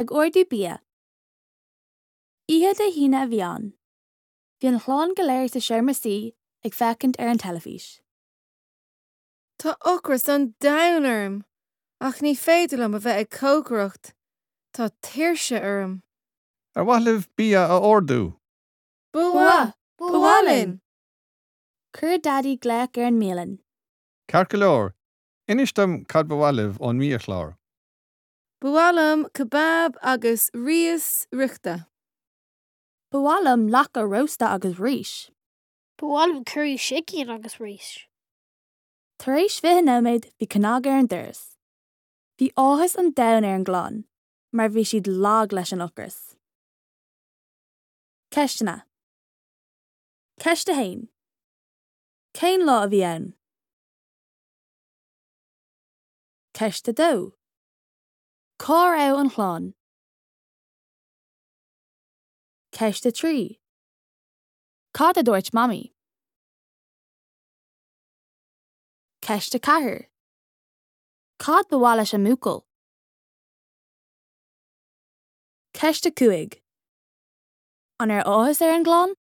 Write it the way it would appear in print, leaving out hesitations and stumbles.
Ag ordú bia. Oíche Dé hAoine a bhí ann. Bhí an chlann go léir sa seomra suí ag féachaint ar an teilifís. Tá ocras an domhain orm, ach ní féidir liom a bheith ag cócaireacht, tá tuirse orm. Ar mhaith libh bia a ordú? Ba mhaith! Ba mhaith linn! Chuir Daidí glaoch ar an mbialann. Ceart go leor, inis dom cad ba mhaith libh ón mbiachlár. Ba mhaith liom kebab agus rís fhriochta. Ba mhaith liom lacha rósta agus rís. Ba mhaith liom curry sicín agus rís. Tar éis 20 nóiméad bhí cnag ar an doras. Bhí áthas an domhain ar an gclann mar bhí siad lag leis an ocras. Ceisteanna. Ceist 1. Cén lá a bhí ann? Ceist 2. Cá raibh an chlann? Ceist 3. Cad a dúirt Mamaí? Ceist 4. Cad ba mhaith leis an mbuachaill? Ceist 5. An raibh áthas ar an gclann?